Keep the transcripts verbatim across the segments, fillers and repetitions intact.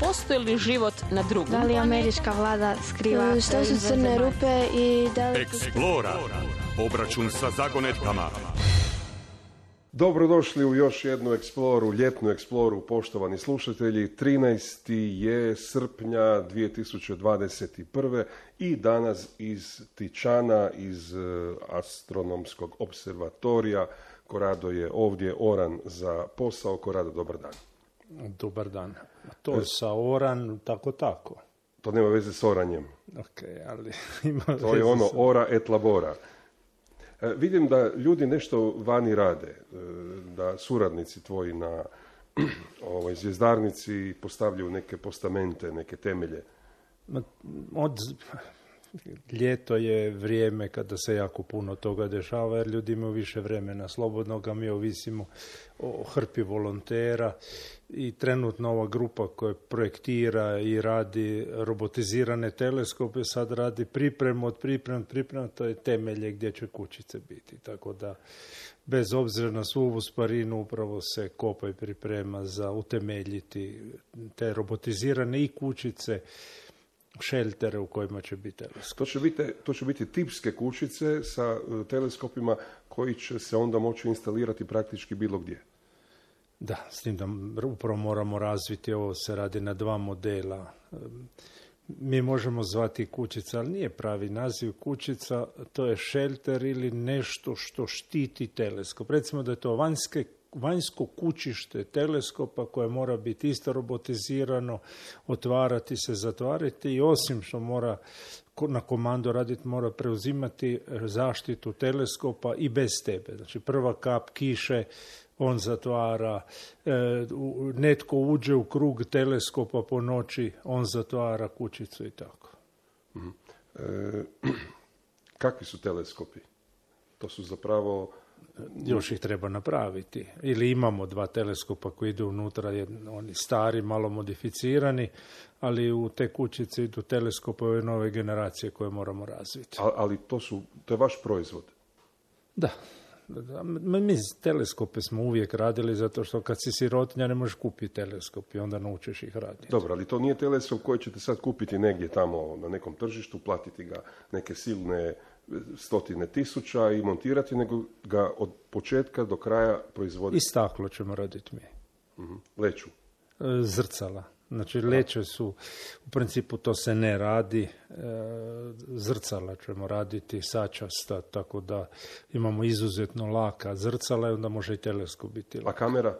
postoji li život na drugom Da li američka vlada skriva... Što su crne rupe i da li... Eksplora. Obračun sa zagonetkama. Dobrodošli u još jednu eksploru, ljetnu eksploru, poštovani slušatelji. trinaesti je srpnja dvije tisuće dvadeset prve i danas iz Tičana, iz astronomskog observatorija. Korado je ovdje oran za posao. Korado, dobar dan. Dobar dan. To je sa oran, tako tako. To nema veze s oranjem. Ok, ali ima to je ono ora et labora. E, vidim da ljudi nešto vani rade, e, da suradnici tvoji na ovoj zvjezdarnici postavljaju neke postamente, neke temelje. Od... Ljeto je vrijeme kada se jako puno toga dešava, jer ljudi imaju više vremena slobodnoga, mi ovisimo o hrpi volontera i trenutno ova grupa koja projektira i radi robotizirane teleskope sad radi pripremu od pripremu, pripremu, to je temelje gdje će kućice biti. Tako da, bez obzira na svu ovu sparinu, upravo se kopa i priprema za utemeljiti te robotizirane i kućice, šeltere u kojima će biti teleskop. To će biti, to će biti tipske kućice sa teleskopima koji će se onda moći instalirati praktički bilo gdje. Da, s tim da upravo moramo razviti, ovo se radi na dva modela. Mi možemo zvati kućica, ali nije pravi naziv kućica, to je šelter ili nešto što štiti teleskop. Recimo da je to vanjske vanjsko kućište teleskopa koje mora biti isto robotizirano, otvarati se, zatvarati i osim što mora na komandu raditi, mora preuzimati zaštitu teleskopa i bez tebe. Znači prva kap kiše, on zatvara, e, netko uđe u krug teleskopa po noći, on zatvara kućicu i tako. Mm. E, kakvi su teleskopi? To su zapravo... Još ih treba napraviti. Ili imamo dva teleskopa koji idu unutra, oni stari, malo modificirani, ali u te kućice idu teleskopove nove generacije koje moramo razviti. A, ali to, su, to je vaš proizvod? Da. Mi teleskope smo uvijek radili zato što kad si sirotinja ne možeš kupiti teleskop i onda naučiš ih raditi. Dobro, ali to nije teleskop koji ćete sad kupiti negdje tamo na nekom tržištu, platiti ga neke silne stotine tisuća i montirati, nego ga od početka do kraja proizvoditi. I staklo ćemo raditi mi. Uh-huh. Leću? Zrcala. Znači leće su, u principu to se ne radi, zrcala ćemo raditi sačasta, tako da imamo izuzetno laka zrcala i onda može i teleskop biti laka. A kamera?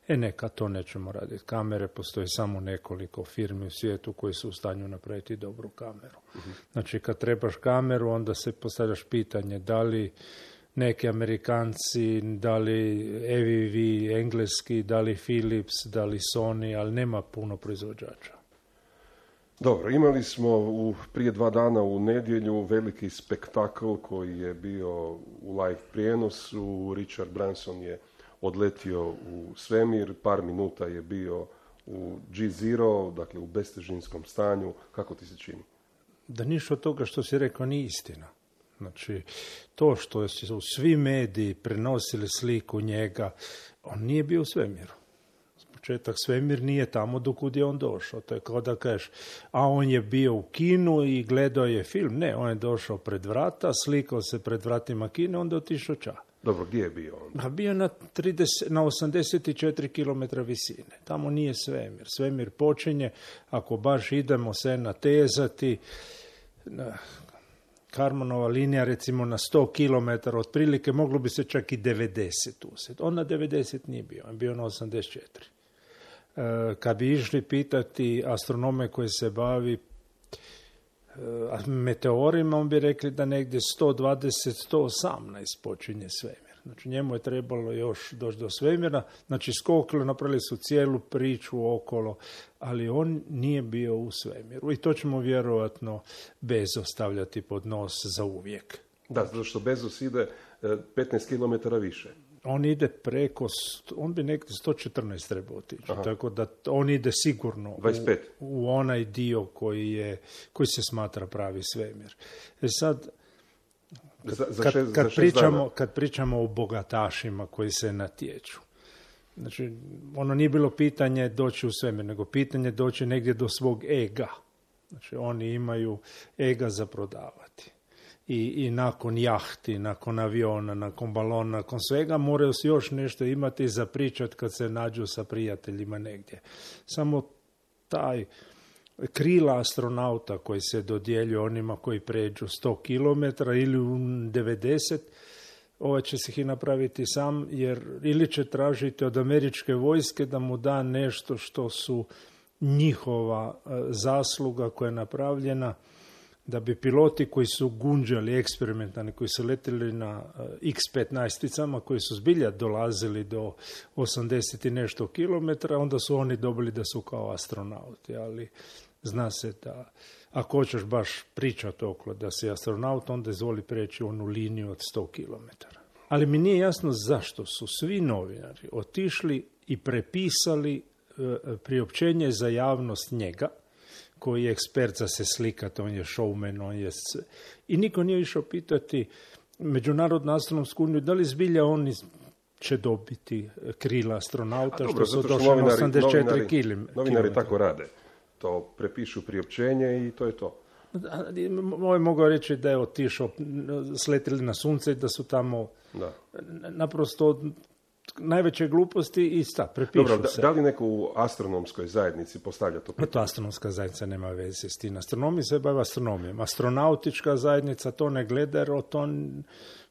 E neka, to nećemo raditi. Kamere postoji samo nekoliko firmi u svijetu koji su u stanju napraviti dobru kameru. Uh-huh. Znači kad trebaš kameru, onda se postavljaš pitanje da li neki Amerikanci, da li E V V engleski, da li Philips, da li Sony, ali nema puno proizvođača. Dobro, imali smo u, prije dva dana u nedjelju veliki spektakl koji je bio u live prijenosu. Richard Branson je odletio u svemir, par minuta je bio u G zero, dakle u bestežinskom stanju. Kako ti se čini? Da ništa od toga što si rekao nije istina. Znači, to što su svi mediji prenosili sliku njega, on nije bio u svemiru. Početak svemir nije tamo dokud je on došao. To je kao da kažeš, a on je bio u kinu i gledao je film. Ne, on je došao pred vrata, slikao se pred vratima kine, onda otišao ča. Dobro, gdje je bio on? A bio na, trideset, na osamdeset četiri kilometra visine. Tamo nije svemir. Svemir počinje, ako baš idemo se natezati, na Karmanova linija recimo na sto kilometara, otprilike moglo bi se čak i devedeset usjet. On na devedeset nije bio, on je bio na osamdeset četiri. E, kad bi išli pitati astronome koji se bavi e, meteorima, on bi rekli da negdje sto dvadeset do sto osamnaest počinje svemir. Znači njemu je trebalo još doći do svemira, znači skokili, napravili su cijelu priču okolo, ali on nije bio u svemiru. I to ćemo vjerojatno Bezos stavljati pod nos za uvijek. Da, zato što Bezos ide petnaest kilometara više. On ide preko, on bi negdje sto četrnaest trebao otići, tako da on ide sigurno u, u onaj dio koji, je, koji se smatra pravi svemir. E sad, Za, za kad, šest, kad, za pričamo, kad pričamo o bogatašima koji se natječu, Znači, ono nije bilo pitanje doći u svemir, nego pitanje doći negdje do svog ega. Znači, oni imaju ega za prodavati. I, i nakon jahti, nakon aviona, nakon balona, nakon svega moraju se još nešto imati za pričat kad se nađu sa prijateljima negdje. Samo taj krila astronauta koji se dodjeljuje onima koji pređu sto kilometara ili u devedeset, ovaj će se ih napraviti sam, jer ili će tražiti od američke vojske da mu da nešto što su njihova zasluga koja je napravljena, da bi piloti koji su gunđali eksperimentalni, koji su letili na iks petnaesticama, koji su zbilja dolazili do osamdeset i nešto kilometra, onda su oni dobili da su kao astronauti, ali zna se da ako hoćeš baš pričati okolo da si astronaut, onda izvoli preći onu liniju od sto kilometara. Ali mi nije jasno zašto su svi novinari otišli i prepisali e, priopćenje za javnost njega, koji je ekspert za se slikati, on je showman, on je... I niko nije išao pitati Međunarodnu astronomsku uniju da li zbilja oni će dobiti krila astronauta, dobro, što su došli na osamdeset četiri kilometra. Novinari tako rade. To prepišu priopćenje i to je to. Moj mogao reći da je otišao, sletili na sunce i da su tamo da. naprosto najveće gluposti i sta, prepišu Dobro, da, se. Da li neko u astronomskoj zajednici postavlja to pitanje? To astronomska zajednica nema veze s tim. Astronomi se bave astronomijom. Astronautička zajednica to ne gleda, jer to,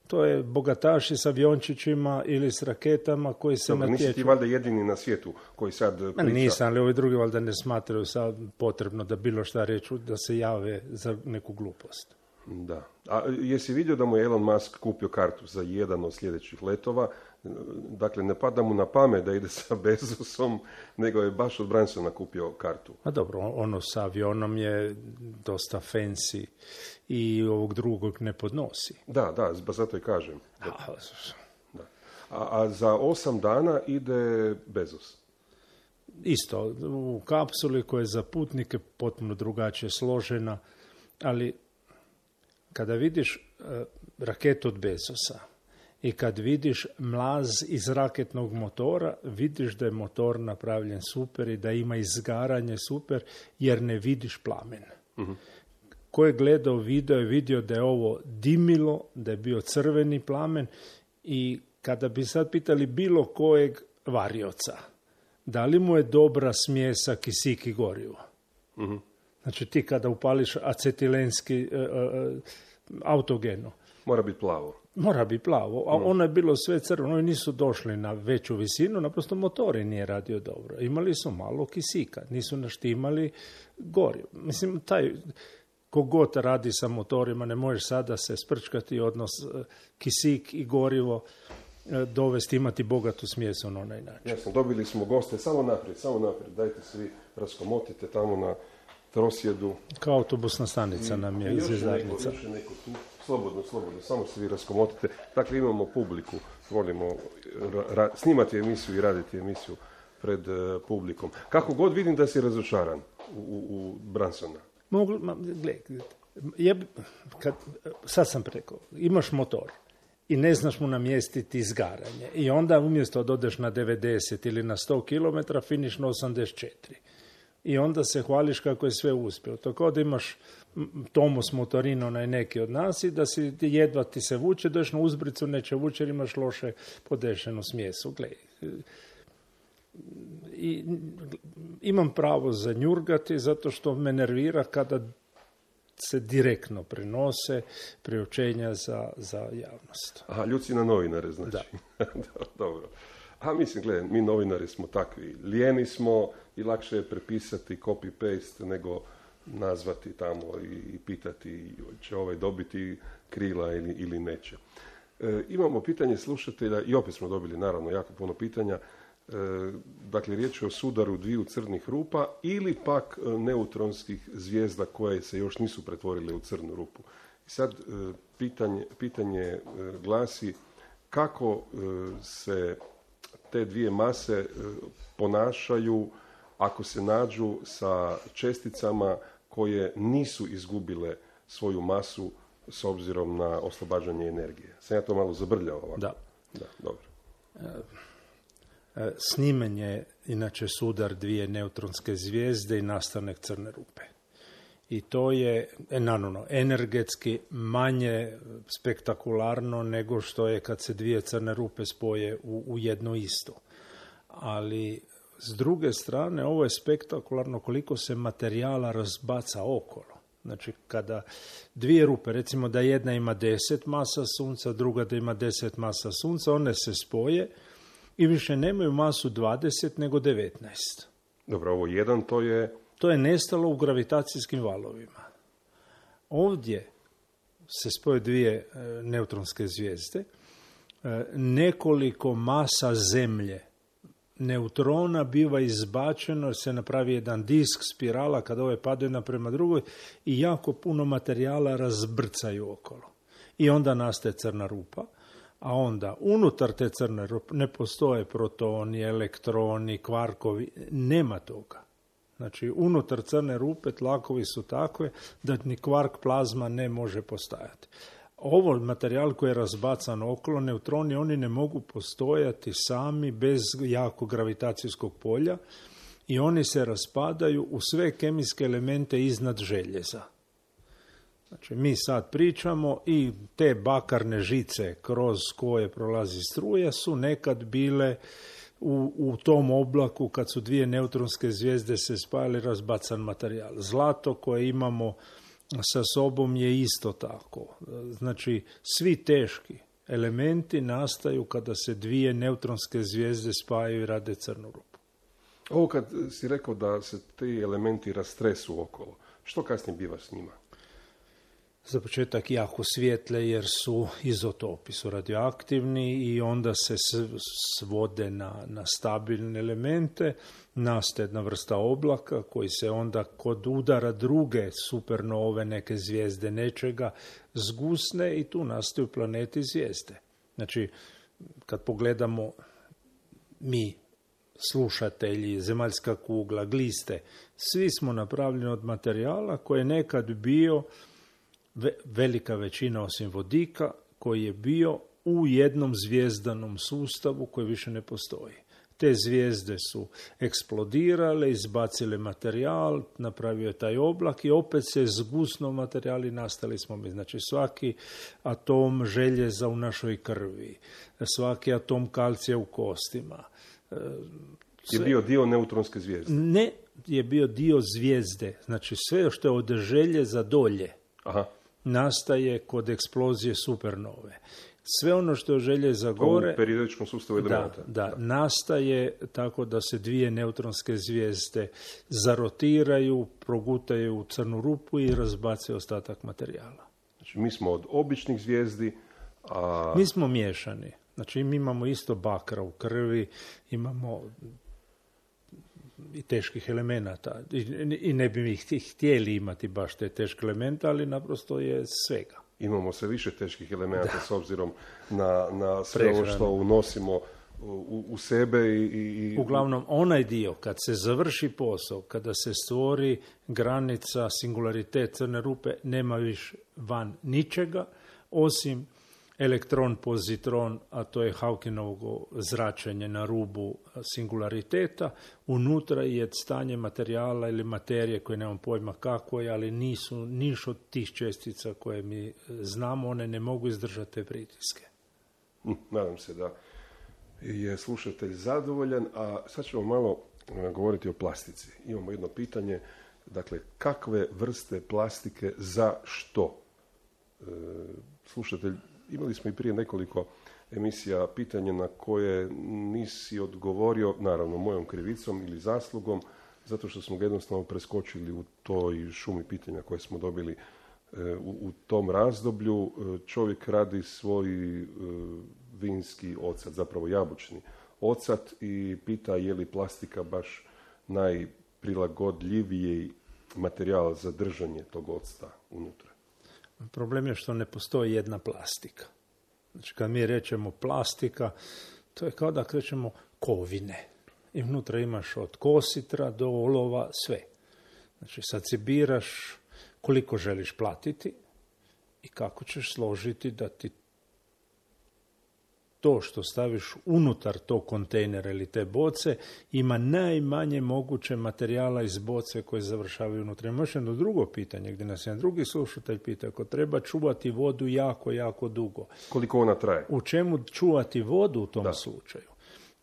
to je bogataši s aviončićima ili s raketama koji se Dobro, natječu. Nisi ti valjda jedini na svijetu koji sad priča? Nisam, ali ovi drugi valjda ne smatraju sad potrebno da bilo šta reću, da se jave za neku glupost. Da. A jesi vidio da mu je Elon Musk kupio kartu za jedan od sljedećih letova? Dakle, ne pada mu na pamet da ide sa Bezosom, nego je baš od Bransona kupio kartu. A dobro, ono sa avionom je dosta fancy i ovog drugog ne podnosi. Da, da, zato i kažem. Da. Da. A, a za osam dana ide Bezos. Isto, u kapsuli koja je za putnike potpuno drugačije složena, ali kada vidiš uh, raketu od Bezosa i kad vidiš mlaz iz raketnog motora, vidiš da je motor napravljen super i da ima izgaranje super, jer ne vidiš plamen. Uh-huh. Ko je gledao video je vidio da je ovo dimilo, da je bio crveni plamen i kada bi sad pitali bilo kojeg varioca, da li mu je dobra smjesa kisik i gorivo? Uh-huh. Znači ti kada upališ acetilenski uh, uh, autogeno. Mora biti plavo. Mora biti plavo, a ono je bilo sve crveno, oni nisu došli na veću visinu, naprosto motori nije radio dobro. Imali su malo kisika, nisu naštimali gorivo. Mislim, taj, kogod radi sa motorima, ne možeš sada se sprčkati odnos kisik i gorivo, dovesti, imati bogatu smjesu na onaj način. Jasno, dobili smo goste, samo naprijed, samo naprijed, dajte svi raskomotite tamo na trosjedu. Kao autobusna stanica I, nam je zvjezdarnica. Još neko tu, slobodno, slobodno, samo se vi raskomotite. Dakle, imamo publiku, volimo ra, snimati emisiju i raditi emisiju pred uh, publikom. Kako god vidim da si razočaran u, u, u Bransona. Mogu, ma, gle, ja, kad, sad sam rekao, imaš motor i ne znaš mu namjestiti izgaranje i onda umjesto da odeš na devedeset ili na sto kilometara, finiš na osamdeset četiri. I onda se hvališ kako je sve uspjelo. Tako da imaš Tomos Motorino, onaj neki od nas, i da si jedva ti se vuče, dođeš na uzbricu, neće vuče jer imaš loše podešenu smjesu. Gle, i imam pravo za njurgati zato što me nervira kada se direktno prenose priopćenja za, za javnost. Aha, ljuci na novinare, znači. Da. Dobro. A mislim, gledaj, mi novinari smo takvi, lijeni smo i lakše je prepisati copy-paste nego nazvati tamo i, i pitati će ovaj dobiti krila ili, ili neće. E, imamo pitanje slušatelja i opet smo dobili naravno jako puno pitanja. E, dakle, riječ je o sudaru dviju crnih rupa ili pak neutronskih zvijezda koje se još nisu pretvorile u crnu rupu. I sad e, pitanje, pitanje e, glasi kako e, se te dvije mase e, ponašaju ako se nađu sa česticama koje nisu izgubile svoju masu s obzirom na oslobađanje energije. Sam ja to malo zabrljao ovako? Da. Da, dobro. Snimen je inače sudar dvije neutronske zvijezde i nastanak crne rupe. I to je, naravno, energetski manje spektakularno nego što je kad se dvije crne rupe spoje u, u jedno isto. Ali s druge strane, ovo je spektakularno koliko se materijala razbaca okolo. Znači, kada dvije rupe, recimo da jedna ima deset masa sunca, druga da ima deset masa sunca, one se spoje i više nemaju masu dvadeset nego devetnaest. Dobro, ovo jedan to je... To je nestalo u gravitacijskim valovima. Ovdje se spoje dvije e, neutronske zvijezde, e, nekoliko masa zemlje neutrona biva izbačeno jer se napravi jedan disk, spirala, kada ove padaju jedna prema drugoj i jako puno materijala razbrcaju okolo. I onda nastaje crna rupa, a onda unutar te crne rupe ne postoje protoni, elektroni, kvarkovi, nema toga. Znači, unutar crne rupe tlakovi su takve da ni kvark plazma ne može postojati. Ovo materijal koji je razbacan okolo, neutroni, oni ne mogu postojati sami bez jakog gravitacijskog polja i oni se raspadaju u sve kemijske elemente iznad željeza. Znači, mi sad pričamo i te bakarne žice kroz koje prolazi struja su nekad bile u, u tom oblaku kad su dvije neutronske zvijezde se spajale razbacan materijal. Zlato koje imamo sa sobom je isto tako. Znači, svi teški elementi nastaju kada se dvije neutronske zvijezde spajaju i rade crnu rupu. Ovo kad si rekao da se ti elementi rastresu okolo, što kasnije biva s njima? Za početak jako svijetle jer su izotopi, su radioaktivni i onda se svode na, na stabilne elemente, nastaje jedna vrsta oblaka koji se onda kod udara druge supernove, neke zvijezde, nečega, zgusne i tu nastaju planeti zvijezde. Znači, kad pogledamo mi, slušatelji, zemaljska kugla, gliste, svi smo napravljeni od materijala koji je nekad bio velika većina osim vodika koji je bio u jednom zvijezdanom sustavu koji više ne postoji. Te zvijezde su eksplodirale, izbacile materijal, napravio je taj oblak i opet se zgusno materijali nastali smo mi. Znači svaki atom željeza u našoj krvi, svaki atom kalcija u kostima. Je bio dio neutronske zvijezde? Ne, je bio dio zvijezde. Znači sve što je od željeza dolje. Aha. Nastaje kod eksplozije supernove. Sve ono što je željeza gore... U periodičkom sustavu elemenata. Da, da, da, nastaje tako da se dvije neutronske zvijezde zarotiraju, progutaju u crnu rupu i razbace ostatak materijala. Znači mi smo od običnih zvijezdi, a... Mi smo miješani. Znači mi imamo isto bakra u krvi, imamo i teških elemenata. I, i ne bi mi htjeli imati baš te teške elemente, ali naprosto je svega. Imamo sve više teških elemenata s obzirom na, na sve ovo što unosimo u, u sebe. I, i... Uglavnom, onaj dio, kad se završi posao, kada se stvori granica, singularitet crne rupe, nema više van ničega, osim elektron, pozitron, a to je Hawkingovo zračenje na rubu singulariteta. Unutra je stanje materijala ili materije koje nemam pojma kako je, ali nisu niš od tih čestica koje mi znamo, one ne mogu izdržati te pritiske. Nadam se da je slušatelj zadovoljan, a sad ćemo malo govoriti o plastici. Imamo jedno pitanje, dakle, kakve vrste plastike za što? E, slušatelj, imali smo i prije nekoliko emisija pitanja na koje nisi odgovorio, naravno mojom krivicom ili zaslugom, zato što smo ga jednostavno preskočili u toj šumi pitanja koje smo dobili e, u, u tom razdoblju. E, čovjek radi svoj e, vinski ocat, zapravo jabučni ocat i pita je li plastika baš najprilagodljiviji materijal za držanje tog octa unutra. Problem je što ne postoji jedna plastika. Znači, kad mi rečemo plastika, to je kao da krećemo kovine. I unutra imaš od kositra do olova sve. Znači, sad si biraš koliko želiš platiti i kako ćeš složiti da ti to što staviš unutar tog kontejnera ili te boce ima najmanje moguće materijala iz boce koje završavaju unutra. Ima još jedno drugo pitanje gdje nas jedan drugi slušatelj pita, ako treba čuvati vodu jako, jako dugo. Koliko ona traje? U čemu čuvati vodu u tom da. slučaju?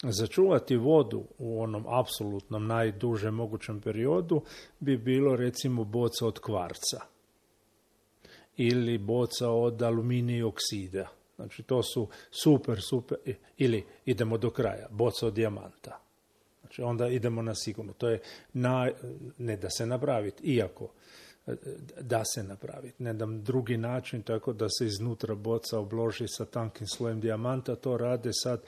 Za čuvati vodu u onom apsolutnom najdužem mogućem periodu bi bilo recimo boca od kvarca ili boca od aluminija oksida. Znači to su super, super, ili idemo do kraja, boca od dijamanta. Znači onda idemo na sigurno. To je na, ne da se napraviti, iako da se napraviti. Ne dam drugi način tako da se iznutra boca obloži sa tankim slojem dijamanta. To rade sad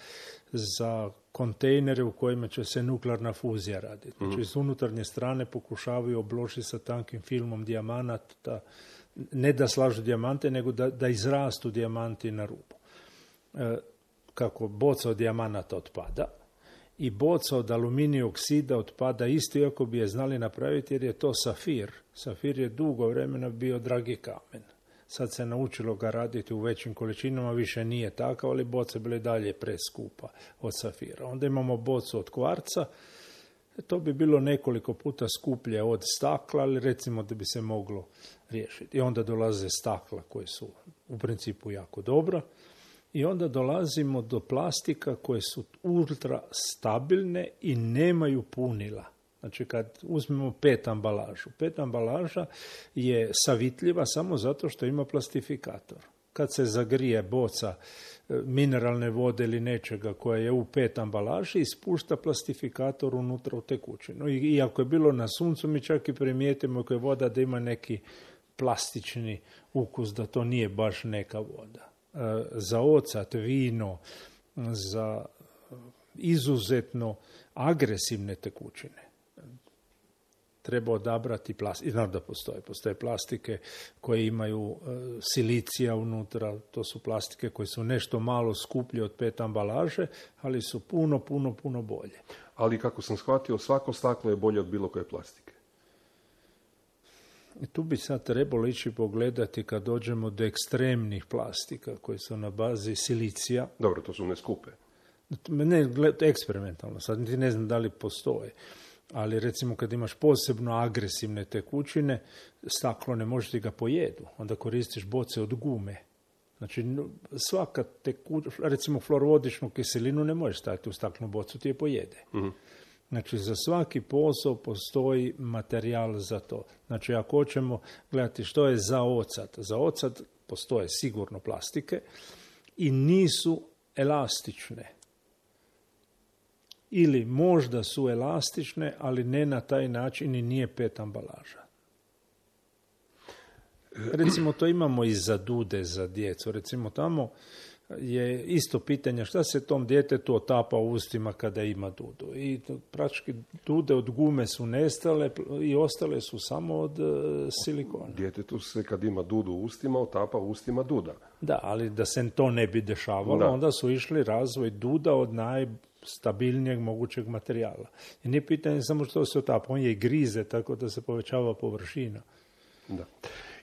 za kontejnere u kojima će se nuklearna fuzija raditi. Znači iz unutarnje strane pokušavaju obložiti sa tankim filmom dijamanata, ne da slažu dijamante, nego da, da izrastu dijamanti na rubu. E, kako boca od dijamanata otpada i boca od aluminija oksida otpada isto, iako bi je znali napraviti, jer je to safir. Safir je dugo vremena bio dragi kamen. Sad se naučilo ga raditi u većim količinama, više nije takav, ali boce bile dalje preskupa od safira. Onda imamo bocu od kvarca, to bi bilo nekoliko puta skuplje od stakla, ali recimo da bi se moglo riješiti. I onda dolaze stakla koje su u principu jako dobra. I onda dolazimo do plastika koje su ultra stabilne i nemaju punila. Znači kad uzmemo pet ambalažu, pet ambalaža je savitljiva samo zato što ima plastifikator. Kad se zagrije boca mineralne vode ili nečega koja je u pet ambalaži, ispušta plastifikator unutra u tekućinu. I iako je bilo na suncu, mi čak i primijetimo ako je voda da ima neki plastični ukus, da to nije baš neka voda. Za ocat, vino, za izuzetno agresivne tekućine treba odabrati plastike. Znam da postoje. Postoje plastike koje imaju uh, silicija unutra. To su plastike koje su nešto malo skuplje od pet ambalaže, ali su puno, puno, puno bolje. Ali kako sam shvatio, svako staklo je bolje od bilo koje plastike. I tu bi sad trebalo ići pogledati kad dođemo do ekstremnih plastika koje su na bazi silicija. Dobro, to su ne skupe. Ne, eksperimentalno. Sad niti ne znam da li postoje. Ali recimo kad imaš posebno agresivne tekućine, staklo ne možeš ti ga pojedu. Onda koristiš boce od gume. Znači svaka tekućina, recimo fluorodičnu kiselinu ne možeš staviti u staklenu bocu, ti je pojede. Mm-hmm. Znači za svaki posao postoji materijal za to. Znači ako hoćemo gledati što je za ocat, za ocat postoje sigurno plastike i nisu elastične. Ili možda su elastične, ali ne na taj način i nije pet ambalaža. Recimo to imamo i za dude za djecu. Recimo tamo je isto pitanje šta se tom djetetu otapa u ustima kada ima dudu. I praktički dude od gume su nestale i ostale su samo od uh, silikona. Djetetu se kad ima dudu u ustima otapa u ustima duda. Da, ali da se to ne bi dešavalo, da. Onda su išli razvoj duda od najstabilnijeg mogućeg materijala. I nije pitanje samo što se otapa, on je i grize tako da se povećava površina. Da.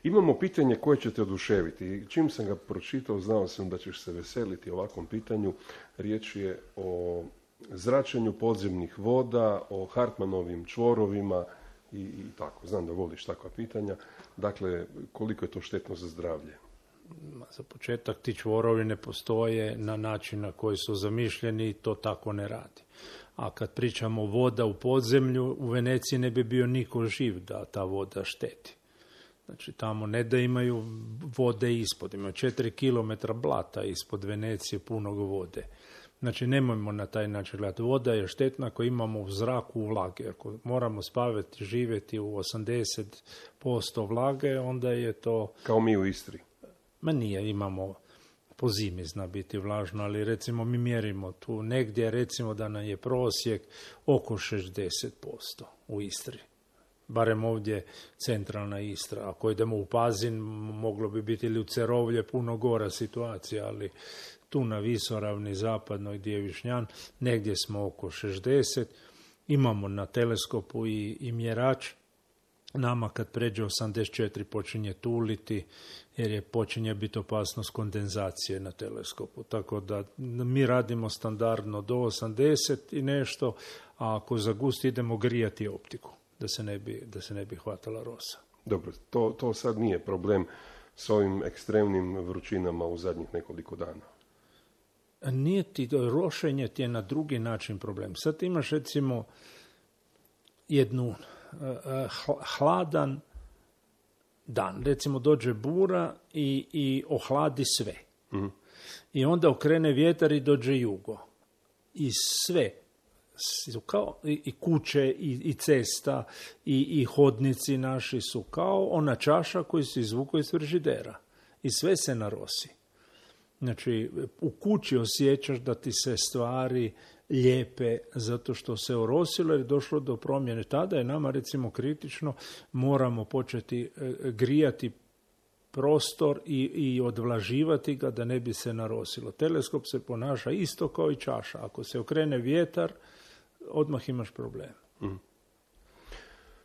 Imamo pitanje koje će te oduševiti. Čim sam ga pročitao, znao sam da ćeš se veseliti ovakvom pitanju. Riječ je o zračenju podzemnih voda, o Hartmanovim čvorovima i, i tako. Znam da voliš takva pitanja. Dakle, koliko je to štetno za zdravlje? Za početak ti čvorovi ne postoje na način na koji su zamišljeni i to tako ne radi. A kad pričamo voda u podzemlju, u Veneciji ne bi bio niko živ da ta voda šteti. Znači tamo ne da imaju vode ispod, imaju četiri kilometra blata ispod Venecije punog vode. Znači nemojmo na taj način gledati. Voda je štetna ako imamo u zraku vlage. Ako moramo spavati, živjeti u osamdeset posto vlage, onda je to... Kao mi u Istri. Ma nije, imamo, po zimi zna biti vlažno, ali recimo mi mjerimo tu negdje, recimo da nam je prosjek oko šezdeset posto u Istri. Barem ovdje centralna Istra. Ako idemo u Pazin, moglo bi biti ili u Cerovlje puno gora situacija, ali tu na Visoravni, zapadnoj gdje je Višnjan, negdje smo oko šezdeset. Imamo na teleskopu i, i mjerač Nama kad pređe osamdeset četiri počinje tuliti, jer je počinje biti opasnost kondenzacije na teleskopu. Tako da mi radimo standardno do osamdeset i nešto, a ako za gust idemo grijati optiku, da se ne bi, da se ne bi hvatala rosa. Dobro, to, to sad nije problem s ovim ekstremnim vrućinama u zadnjih nekoliko dana. Nije ti, rošenje ti je na drugi način problem. Sad imaš recimo jednu hladan dan. Recimo dođe bura i, i ohladi sve. Mm. I onda okrene vjetar i dođe jugo. I sve, kao i, i kuće, i, i cesta, i, i hodnici naši su kao ona čaša koju se izvuku iz frižidera. I sve se narosi. Znači, u kući osjećaš da ti se stvari lijepe zato što se orosilo i došlo do promjene. Tada je nama recimo kritično, moramo početi grijati prostor i, i odvlaživati ga da ne bi se narosilo. Teleskop se ponaša isto kao i čaša. Ako se okrene vjetar, odmah imaš problem. Mm.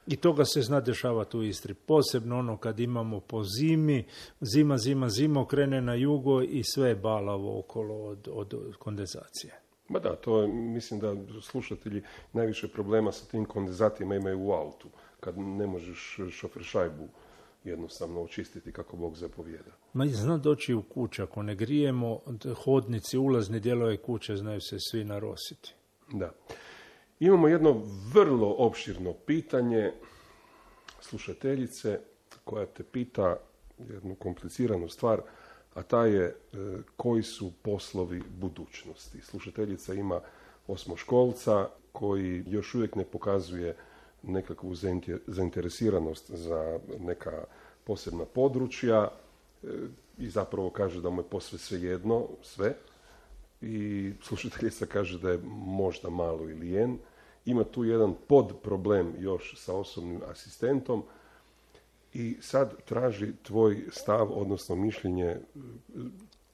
I toga se zna dešavati u Istri. Posebno ono kad imamo po zimi, zima, zima, zima, okrene na jugo i sve je balavo okolo od, od kondenzacije. Ma da, to je, mislim da slušatelji najviše problema sa tim kondenzatima imaju u autu, kad ne možeš šofer šajbu jednostavno očistiti kako Bog zapovijeda. Ma zna doći u kuću, ako ne grijemo, hodnici, ulazni dijelovi kuće znaju se svi narositi. Da. Imamo jedno vrlo opširno pitanje slušateljice koja te pita jednu kompliciranu stvar, a ta je e, koji su poslovi budućnosti. Slušateljica ima osmoškolca koji još uvijek ne pokazuje nekakvu zainteresiranost za neka posebna područja e, i zapravo kaže da mu je posve svejedno sve. I slušateljica kaže da je možda malo ili jen. Ima tu jedan podproblem još sa osobnim asistentom i sad traži tvoj stav, odnosno mišljenje,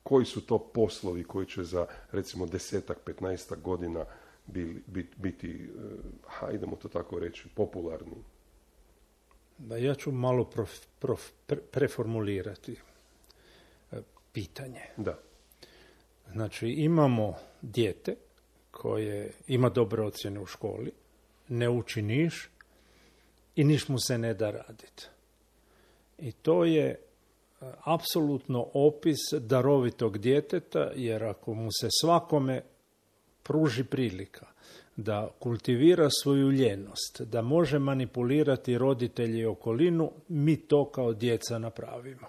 koji su to poslovi koji će za recimo desetak, petnaestak godina biti, biti, hajdemo to tako reći, popularni. Da, ja ću malo prof, prof, pre, preformulirati pitanje. Da. Znači, imamo dijete koje ima dobre ocjene u školi, ne uči niš i niš mu se ne da raditi. I to je apsolutno opis darovitog djeteta, jer ako mu se svakome pruži prilika da kultivira svoju ljenost, da može manipulirati roditelji i okolinu, mi to kao djeca napravimo.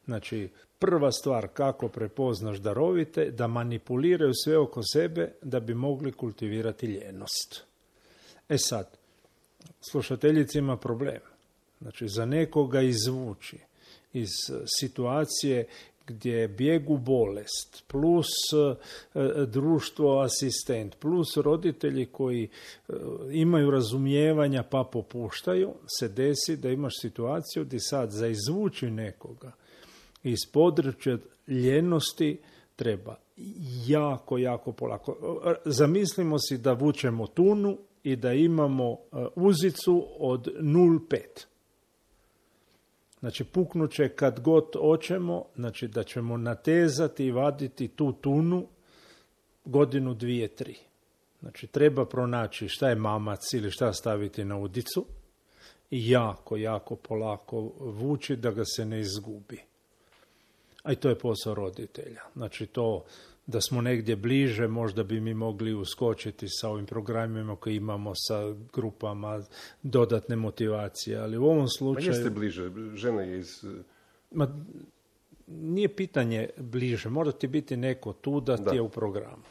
Znači, prva stvar kako prepoznaš darovite, da manipuliraju sve oko sebe da bi mogli kultivirati ljenost. E sad, slušateljica ima problem. Znači, za nekoga izvući iz situacije gdje je bijeg u bolest, plus e, društvo asistent, plus roditelji koji e, imaju razumijevanja pa popuštaju, se desi da imaš situaciju gdje sad za izvući nekoga iz područja ljenosti treba jako, jako polako. Zamislimo si da vučemo tunu i da imamo uzicu od nula zarez pet. Znači, puknuće kad god hoćemo, znači da ćemo natezati i vaditi tu tunu godinu, dvije, tri. Znači, treba pronaći šta je mamac ili šta staviti na udicu i jako, jako polako vući da ga se ne izgubi. A i to je posao roditelja. Znači, to da smo negdje bliže, možda bi mi mogli uskočiti sa ovim programima koje imamo sa grupama dodatne motivacije, ali u ovom slučaju... Ma jeste bliže, žena je iz... Ma, nije pitanje bliže, mora ti biti neko tu da, da. ti je u programu.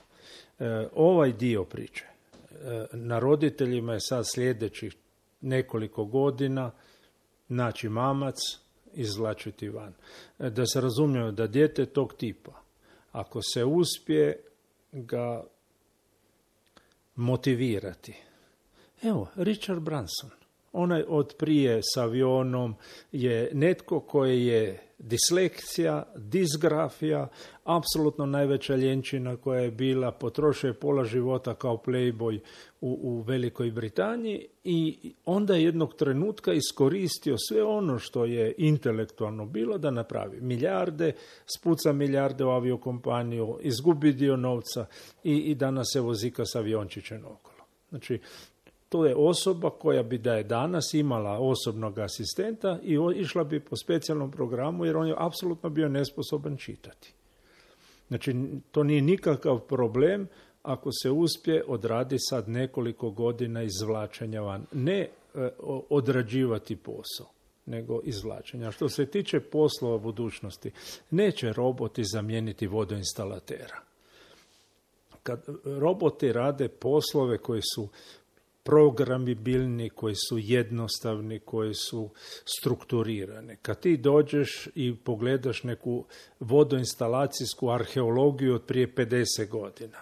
E, ovaj dio priče, e, na roditeljima je sad sljedećih nekoliko godina naći mamac, izvlačiti van. E, da se razumijemo da dijete tog tipa, ako se uspije ga motivirati. Evo, Richard Branson, onaj od prije s avionom je netko koji je dislekcija, disgrafija, apsolutno najveća ljenčina koja je bila, potrošio je pola života kao playboy u, u Velikoj Britaniji i onda je jednog trenutka iskoristio sve ono što je intelektualno bilo da napravi milijarde, spuca milijarde u aviokompaniju, izgubi dio novca i, i danas se vozika s aviončićem okolo. Znači, to je osoba koja bi da je danas imala osobnog asistenta i išla bi po specijalnom programu jer on je apsolutno bio nesposoban čitati. Znači, to nije nikakav problem ako se uspije odradi sad nekoliko godina izvlačenja van. Ne e, odrađivati posao, nego izvlačenja. Što se tiče poslova budućnosti, neće roboti zamijeniti vodoinstalatera. Kad roboti rade poslove koji su programibilni, koji su jednostavni, koji su strukturirani. Kad ti dođeš i pogledaš neku vodoinstalacijsku arheologiju od prije pedeset godina,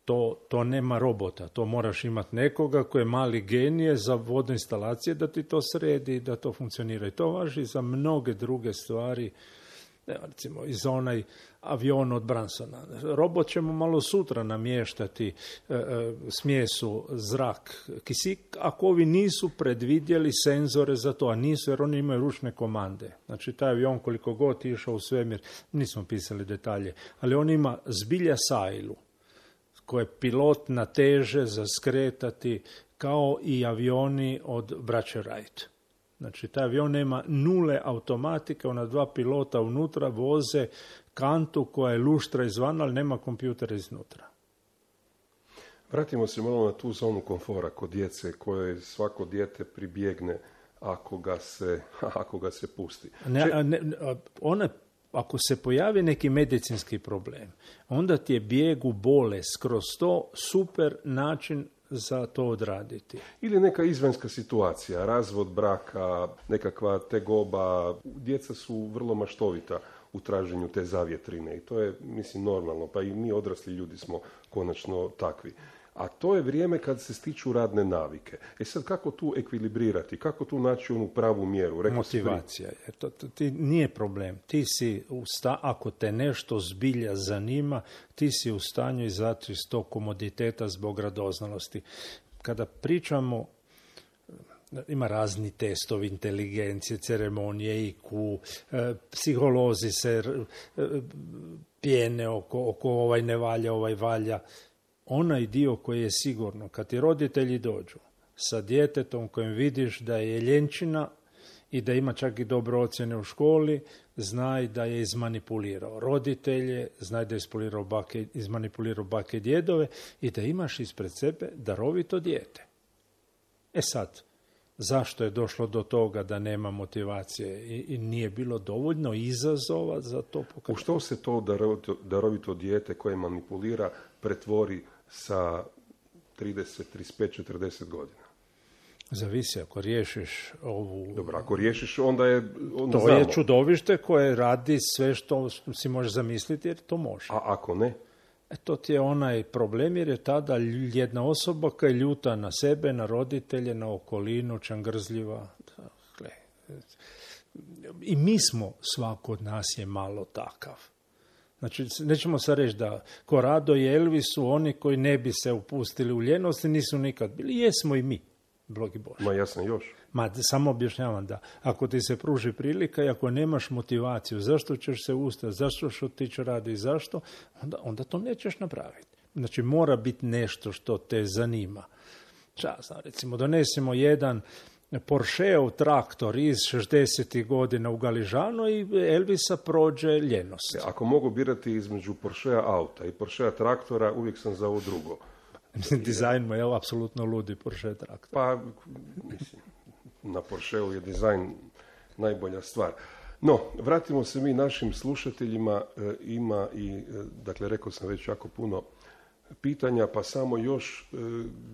to, to nema robota. To moraš imati nekoga koji je mali genije za vodoinstalacije da ti to sredi, da to funkcionira. I to važi za mnoge druge stvari. Recimo, i za onaj avion od Bransona. Robot ćemo malo sutra namještati e, e, smjesu, zrak, kisik, ako ovi nisu predvidjeli senzore za to, a nisu jer oni imaju ručne komande. Znači, taj avion koliko god išao u svemir, nismo pisali detalje, ali on ima zbilja sajlu, koje pilot nateže za skretati kao i avioni od braće Wright. Znači, taj avion nema nule automatike, ona dva pilota unutra voze kantu koja je luštra izvana, ali nema kompjutera iznutra. Vratimo se malo na tu zonu komfora kod djece koje svako dijete pribjegne ako ga se, ako ga se pusti. Ne, ne, ona, ako se pojavi neki medicinski problem, onda ti je bijeg u bolest kroz to super način za to odraditi. Ili neka izvanjska situacija, razvod braka, nekakva tegoba. Djeca su vrlo maštovita u traženju te zavjetrine i to je, mislim, normalno. Pa i mi odrasli ljudi smo konačno takvi. A to je vrijeme kad se stiču radne navike. E sad, kako tu ekvilibrirati? Kako tu naći onu pravu mjeru? Rekao motivacija. Jer to, to ti nije problem. Ti si u sta, ako te nešto zbilja zanima, ti si u stanju izaći iz tog komoditeta zbog radoznalosti. Kada pričamo, ima razni testovi inteligencije, ceremonije, I Q, e, psiholozi se e, pjene oko, oko ovaj ne valja, ovaj valja. Onaj dio koji je sigurno, kad ti roditelji dođu sa djetetom kojem vidiš da je ljenčina i da ima čak i dobre ocjene u školi, znaj da je izmanipulirao roditelje, znaj da je izmanipulirao bake, izmanipulirao bake i djedove i da imaš ispred sebe darovito dijete. E sad, zašto je došlo do toga da nema motivacije i, i nije bilo dovoljno izazova za to pokazati? U što se to darovito, darovito dijete koje manipulira pretvori sa trideset, trideset pet, četrdeset godina? Zavisi, ako riješiš ovu... Dobro, ako riješiš, onda je... Onda to znamo. je čudovište koje radi sve što si možeš zamisliti, jer to može. A ako ne? E, to ti je onaj problem, jer je tada jedna osoba koja je ljuta na sebe, na roditelje, na okolinu, čangrzljiva. Dakle, i mi smo, svako od nas je malo takav. Znači, nećemo sad reći da Corrado i Elvis su oni koji ne bi se upustili u ljenost i nisu nikad bili. Jesmo i mi, blogi Bože. Ma ja sam još. Ma, samo objašnjavam da ako ti se pruži prilika i ako nemaš motivaciju, zašto ćeš se ustati, zašto ćeš otići radi i zašto, onda, onda to nećeš napraviti. Znači, mora biti nešto što te zanima. Časno, recimo, donesemo jedan Porscheov traktor iz šezdesetih godina u Galižano i Elvisa prođe ljenost. Ako mogu birati između Porschea auta i Porschea traktora, uvijek sam za ovo drugo. Dizajn mu je apsolutno ludi Porsche traktor. Pa, mislim, na Porscheu je dizajn najbolja stvar. No, vratimo se mi našim slušateljima. E, ima i, e, dakle, rekao sam već jako puno pitanja, pa samo još e,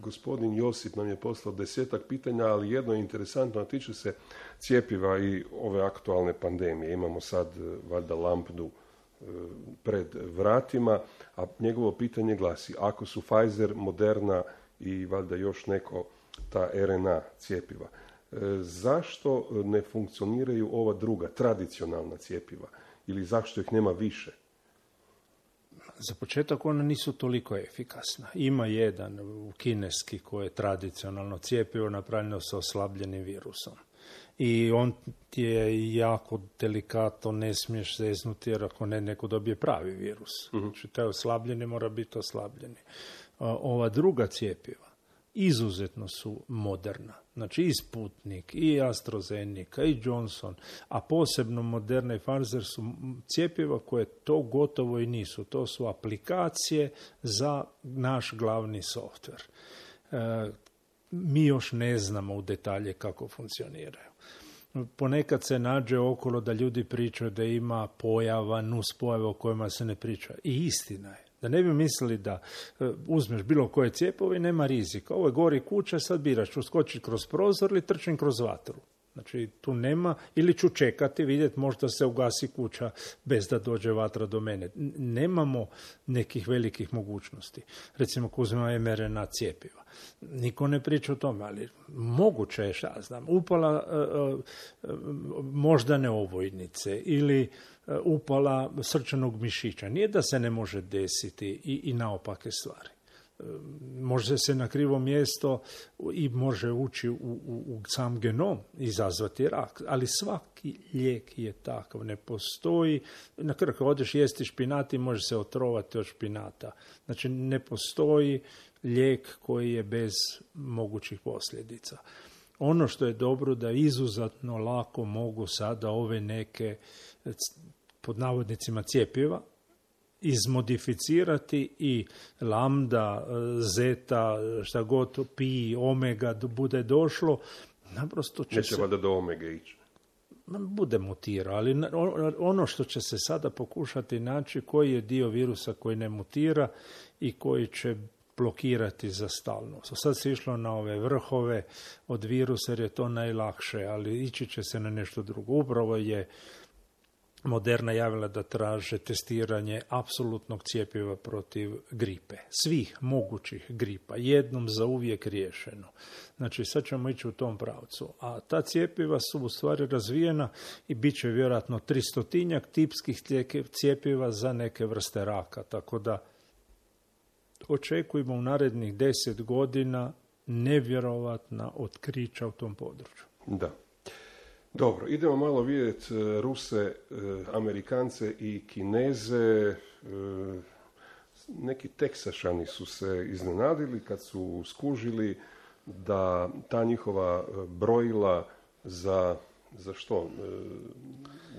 gospodin Josip nam je poslao desetak pitanja, ali jedno je interesantno, a tiče se cjepiva i ove aktualne pandemije. Imamo sad e, valjda lambdu e, pred vratima, a njegovo pitanje glasi: ako su Pfizer, Moderna i valjda još neko ta R N A cjepiva Zašto ne funkcioniraju ova druga, tradicionalna cjepiva? Ili zašto ih nema više? Za početak ona nisu toliko efikasna. Ima jedan u kineski koji je tradicionalno cjepivo napravljeno sa oslabljenim virusom. I on ti je jako delikatno, ne smiješ zeznuti jer ako ne, neko dobije pravi virus. Uh-huh. Znači, taj oslabljeni mora biti oslabljeni. Ova druga cjepiva izuzetno su moderna. Znači i Sputnik, i AstraZeneca, i Johnson, a posebno Moderna i Pfizer su cjepiva koje to gotovo i nisu. To su aplikacije za naš glavni softver. E, mi još ne znamo u detalje kako funkcioniraju. Ponekad se nađe okolo da ljudi pričaju da ima pojava, nuspojava o kojima se ne priča. I istina je. Da ne bi mislili da uh, uzmeš bilo koje cjepivo i nema rizika. Ovo je gori kuća, sad biraš, ću skočiti kroz prozor ili trčim kroz vatru. Znači, tu nema, ili ću čekati, vidjeti možda se ugasi kuća bez da dođe vatra do mene. N- nemamo nekih velikih mogućnosti. Recimo, ako uzmemo em er en a cjepiva. Niko ne priča o tome, ali moguće je, šta znam, upala uh, uh, moždane ovojnice ili uh, upala srčanog mišića. Nije da se ne može desiti i, i naopake stvari. Može se na krivo mjesto i može ući u, u, u sam genom, izazvati rak, ali svaki lijek je takav, ne postoji. Na kraju kad odeš jesti špinat i može se otrovati od špinata. Znači ne postoji lijek koji je bez mogućih posljedica. Ono što je dobro da izuzetno lako mogu sada ove neke pod navodnicima cjepiva izmodificirati i lambda, zeta, šta god, pi, omega bude došlo, naprosto će Neće se... vada do omege ići. Bude mutira, ali ono što će se sada pokušati naći, koji je dio virusa koji ne mutira i koji će blokirati za stalno. Sad se išlo na ove vrhove od virusa jer je to najlakše, ali ići će se na nešto drugo. Upravo je Moderna javila da traže testiranje apsolutnog cjepiva protiv gripe. Svih mogućih gripa. Jednom za uvijek riješeno. Znači, sad ćemo ići u tom pravcu. A ta cjepiva su u stvari razvijena i bit će vjerojatno tristotinjak tipskih cjepiva za neke vrste raka. Tako da očekujemo u narednih deset godina nevjerovatna otkrića u tom području. Da. Dobro, idemo malo vidjeti Ruse, Amerikance i Kineze. Neki Teksašani su se iznenadili kad su skužili da ta njihova brojila za, za što?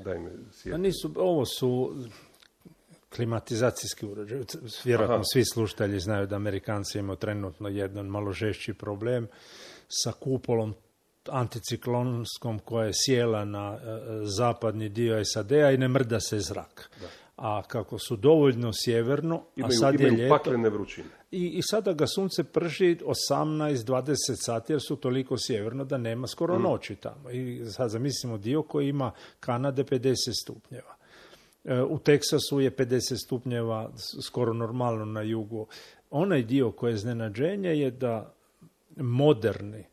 Daj me sjetiti. Nisu, ovo su klimatizacijski uređaj. Vjerojatno Aha. svi slušatelji znaju da Amerikanci imaju trenutno jedan malo žešći problem sa kupolom anticiklonskom koja je sjela na e, zapadni dio es a de a i ne mrda se zrak. Da. A kako su dovoljno sjeverno, imaju, a sad imaju je ljeto, paklene vrućine. I, I sada ga sunce prži osamnaest do dvadeset sati jer su toliko sjeverno da nema skoro mm. noći tamo. I sad zamislimo dio koji ima Kanade pedeset stupnjeva. E, u Teksasu je pedeset stupnjeva skoro normalno na jugu. Onaj dio koje je iznenađenje je da moderni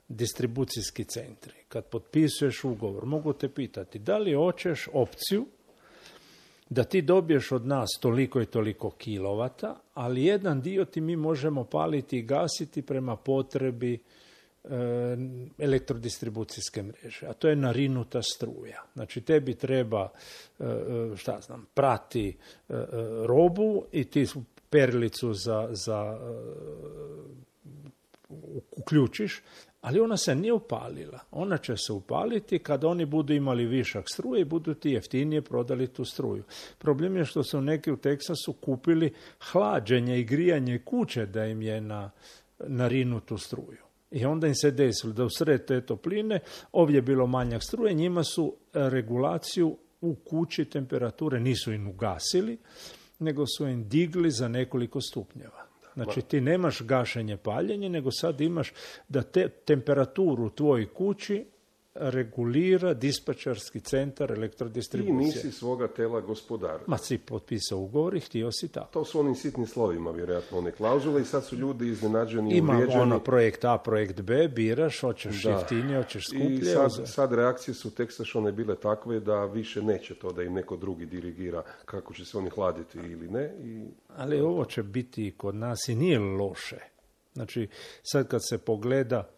distribucijski centri, kad potpisuješ ugovor, mogu te pitati da li hoćeš opciju da ti dobiješ od nas toliko i toliko kilovata, ali jedan dio ti mi možemo paliti i gasiti prema potrebi e, elektrodistribucijske mreže, a to je narinuta struja. Znači tebi treba, e, šta znam, prati e, robu i ti perilicu za, za e, uključiš, ali ona se nije upalila. Ona će se upaliti kad oni budu imali višak struje i budu ti jeftinije prodali tu struju. Problem je što su neki u Teksasu kupili hlađenje i grijanje kuće da im je na, na rinutu struju. I onda im se desilo da usred te topline ovdje je bilo manjak struje, njima su regulaciju u kući temperature nisu im ugasili, nego su im digli za nekoliko stupnjeva. Znači ti nemaš gašenje paljenje, nego sad imaš da te temperaturu u tvojoj kući regulira dispačarski centar elektrodistribucije. I nisi svoga tela gospodar. Ma si potpisao ugovor i htio si tako. To su onim sitnim slovima, vjerojatno, one klauzule i sad su ljudi iznenađeni i Ima uvrijeđeni. ono projekt A, projekt B, biraš, hoćeš Da. jeftinije, hoćeš skuplje. I sad, sad reakcije su teksašone bile takve da više neće to da im neko drugi dirigira kako će se oni hladiti ili ne. I... Ali ovo će biti i kod nas i nije loše. Znači, sad kad se pogleda...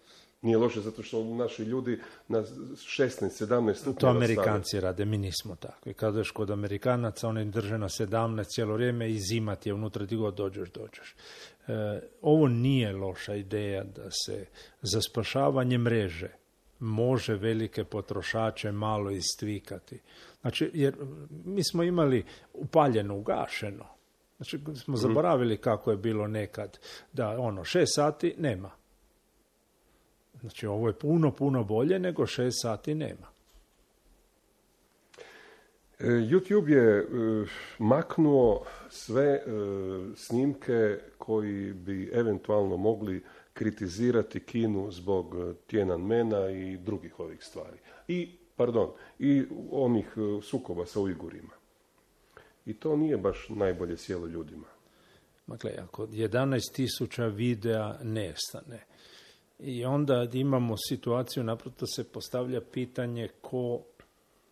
Nije loše zato što naši ljudi na šesnaest sedamnaest stupnjeva To Amerikanci stave. Rade, mi nismo takvi. Kad ješ kod Amerikanaca, oni drže na sedamnaest cijelo vrijeme i zima ti je unutra, ti god dođeš, dođeš. E, ovo nije loša ideja da se za spašavanje mreže može velike potrošače malo istvikati. Znači, jer mi smo imali upaljeno, ugašeno. Znači, smo zaboravili kako je bilo nekad. Da, ono, šest sati nema. Znači, ovo je puno, puno bolje nego šest sati nema. YouTube je uh, maknuo sve uh, snimke koji bi eventualno mogli kritizirati Kinu zbog uh, Tiananmena i drugih ovih stvari. I, pardon, i onih uh, sukoba sa Ujgurima. I to nije baš najbolje sjelo ljudima. Dakle, ako jedanaest tisuća videa nestane, i onda imamo situaciju, naprosto se postavlja pitanje ko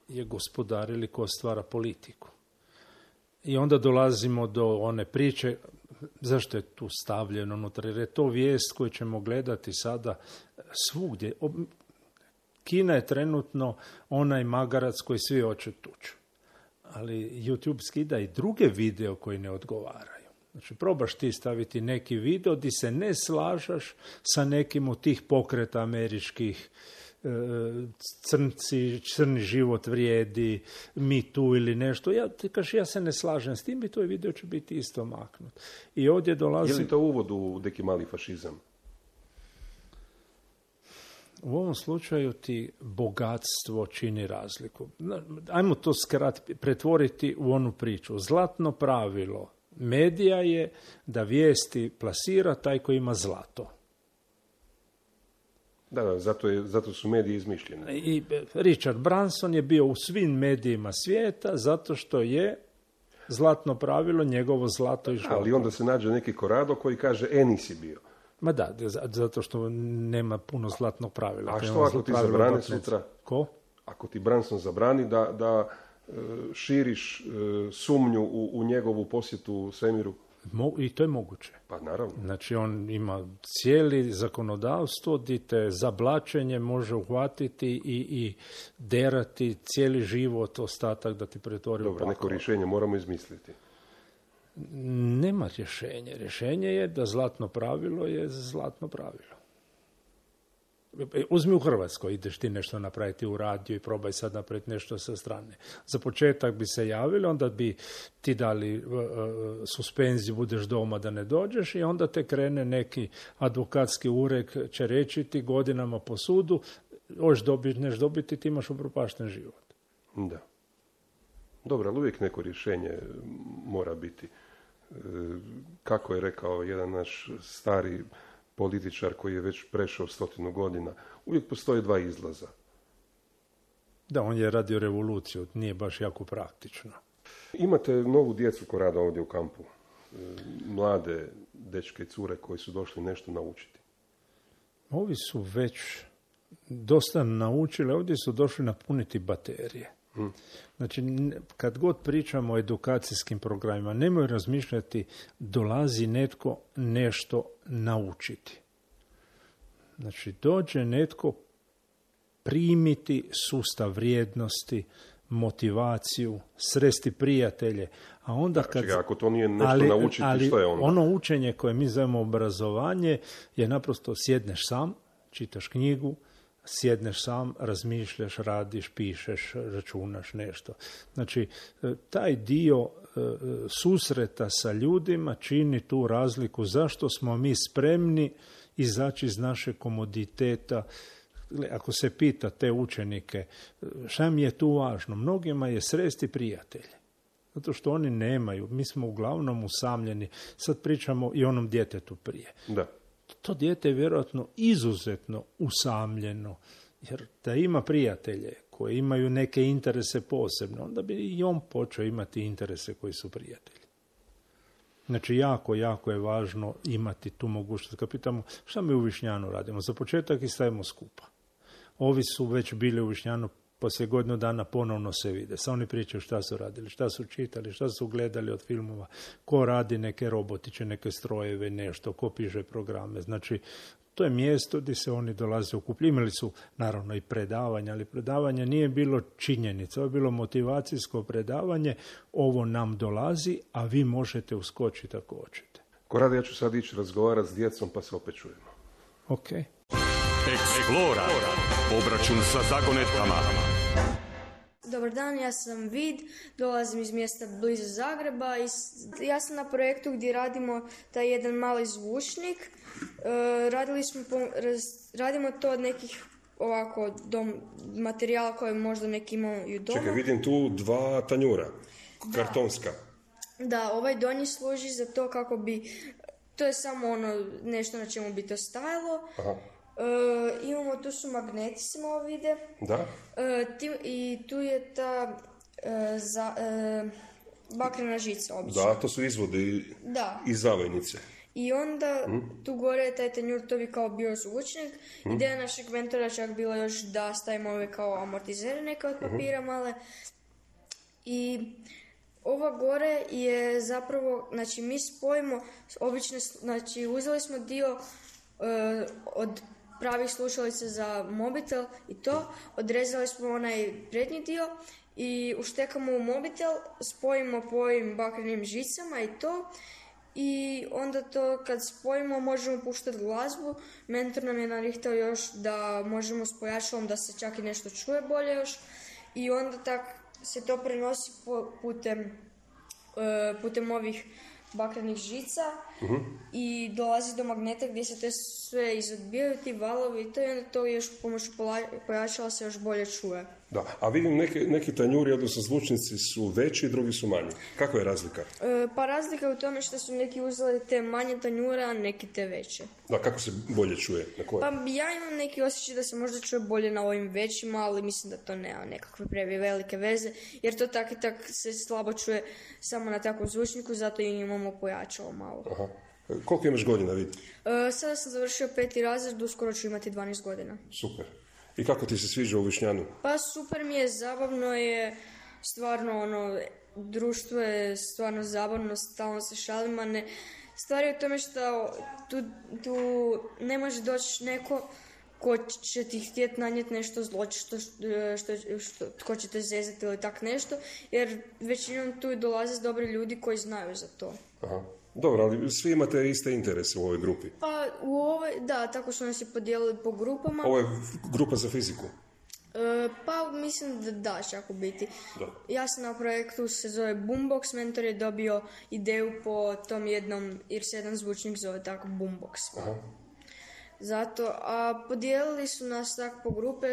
je gospodar ili ko stvara politiku. I onda dolazimo do one priče, zašto je tu stavljeno unutra, jer je to vijest koju ćemo gledati sada svugdje. Kina je trenutno onaj magarac koji svi hoće tući. Ali YouTube skida i druge video koji ne odgovaraju. Znači, probaš ti staviti neki video di se ne slažeš sa nekim od tih pokreta američkih, e, crnci, crni život vrijedi, mi tu ili nešto. Ja ti kažeš, ja se ne slažem s tim i tvoj video će biti isto maknut. I ovdje dolazi... Je li to uvod u neki mali fašizam? U ovom slučaju ti bogatstvo čini razliku. Ajmo to skratiti, pretvoriti u onu priču. Zlatno pravilo medija je da vijesti plasira taj koji ima zlato. Da, da, zato, je, zato su mediji izmišljeni. I Richard Branson je bio u svim medijima svijeta zato što je zlatno pravilo njegovo zlato i žalko. Ali onda se nađe neki Corrado koji kaže, e, nisi bio. Ma da, zato što nema puno zlatnog pravila. A što ako ti zabrani sutra? Ko? Ako ti Branson zabrani da, da širiš sumnju u, u njegovu posjetu svemiru? Mo, I to je moguće. Pa naravno. Znači on ima cijeli zakonodavstvo gdje te za blaćenje može uhvatiti i, i derati cijeli život, ostatak da ti pretvori u pakao. Dobro, neko rješenje moramo izmisliti. Nema rješenja. Rješenje je da zlatno pravilo je zlatno pravilo. Uzmi u Hrvatskoj, ideš ti nešto napraviti u radiju i probaj sad napraviti nešto sa strane. Za početak bi se javili, onda bi ti dali uh, suspenziju, budeš doma da ne dođeš i onda te krene neki advokatski ured, će reći ti godinama po sudu, hoćeš dobiti, neš dobiti, ti imaš upropašten život. Da. Dobro, ali uvijek neko rješenje mora biti. Kako je rekao jedan naš stari političar koji je već prešao stotinu godina, uvijek postoje dva izlaza. Da, on je radio revoluciju, nije baš jako praktično. Imate novu djecu koja rada ovdje u kampu. Mlade dečke i cure koji su došli nešto naučiti. Ovi su već dosta naučili, ovdje su došli napuniti baterije. Hmm. Znači, kad god pričamo o edukacijskim programima, nemoj razmišljati, dolazi netko nešto naučiti. Znači, dođe netko primiti sustav vrijednosti, motivaciju, sresti prijatelje, a onda kad... Čekaj, ako to nije nešto ali, naučiti, ali što je onda? Ono učenje koje mi zovemo obrazovanje je naprosto sjedneš sam, čitaš knjigu, sjedneš sam, razmišljaš, radiš, pišeš, računaš nešto. Znači, taj dio susreta sa ljudima čini tu razliku zašto smo mi spremni izaći iz naše komoditeta. Ako se pita te učenike, šta mi je tu važno? Mnogima je sresti prijatelje. Zato što oni nemaju. Mi smo uglavnom usamljeni. Sad pričamo i onom djetetu prije. Da. To dijete je vjerojatno izuzetno usamljeno. Jer da ima prijatelje koji imaju neke interese posebno, onda bi i on počeo imati interese koji su prijatelji. Znači, jako, jako je važno imati tu mogućnost. Kad pitamo šta mi u Višnjanu radimo, za početak i stavimo skupa. Ovi su već bili u Višnjanu, poslije godinu dana ponovno se vide. Sad oni pričaju šta su radili, šta su čitali, šta su gledali od filmova, ko radi neke robotiće, neke strojeve, nešto, ko piše programe. Znači, to je mjesto gdje se oni dolaze okupljati. Imali su, naravno, i predavanja, ali predavanje nije bilo činjenica, ovo je bilo motivacijsko predavanje, ovo nam dolazi, a vi možete uskočiti ako hoćete. Korade, ja ću sad ići razgovarati s djecom, pa se opet čujemo. Ok. Eksplora. Obračun sa zagonetkama. Dobar dan, ja sam Vid, dolazim iz mjesta blizu Zagreba i ja sam na projektu gdje radimo taj jedan mali zvučnik. E, radili smo, po, raz, radimo to od nekih ovako dom, materijala koje možda neki imaju doma. Čekaj, vidim tu dva tanjura, kartonska. Da, da, ovaj donji služi za to kako bi, to je samo ono nešto na čemu bi to stajalo. Aha. E, imamo, tu su magneti, se malo vide. Da. E, ti, I tu je ta e, za, e, bakrena žica obično. Da, to su izvodi da. Iz zavojnice. I onda mm. tu gore je taj tanjur, to bi kao bio zvučnik. Mm. Ideja našeg mentora čak bila još da stavimo ove kao amortizere neke od papira mm. male. I ova gore je zapravo, znači mi spojimo obične, znači uzeli smo dio uh, od pravih slušalica za mobitel i to, odrezali smo onaj prednji dio i uštekamo u mobitel, spojimo po ovim bakrenim žicama i to, i onda to kad spojimo možemo puštati glazbu. Mentor nam je narihtao još da možemo s pojačalom da se čak i nešto čuje bolje još, i onda tak se to prenosi putem, uh, putem ovih bakrenih žica uh-huh. i dolazi do magneta gdje se te sve izodbijaju, ti valovi i to, i onda to još pomoću pojačala se još bolje čuje. Da, a vidim neke, neki tanjuri, odnosno zvučnici su veći, drugi su manji. Kako je razlika? E, pa razlika je u tome što su neki uzeli te manje tanjure, a neki te veće. Da, kako se bolje čuje? Na koje? Pa ja imam neki osjećaj da se možda čuje bolje na ovim većima, ali mislim da to nema nekakve previ velike veze, jer to tak i tak se slabo čuje samo na takvom zvučniku, zato i imamo pojačalo malo. Aha. Koliko imaš godina, vidi? E, sada sam završio peti razred, uskoro ću imati dvanaest godina. Super. I kako ti se sviđa u Višnjanu? Pa super mi je, zabavno je, stvarno ono, društvo je stvarno zabavno, stalno se šalimo, ne, stvar je u tome što tu, tu ne može doći neko ko će ti htjeti nanijeti nešto zlo, što, što, što, ko će te zezati ili tak nešto, jer većinom tu dolaze dobri ljudi koji znaju za to. Aha. Dobro, ali svi imate iste interese u ovoj grupi? Pa u ovoj, da, tako su nas i podijelili po grupama. Ovo je grupa za fiziku? E, pa mislim da da, čak u biti. Da. Ja sam na projektu, se zove Boombox, mentor je dobio ideju po tom jednom, jer se jedan zvučnik zove tako Boombox. Aha. Zato, a podijelili su nas tako po grupe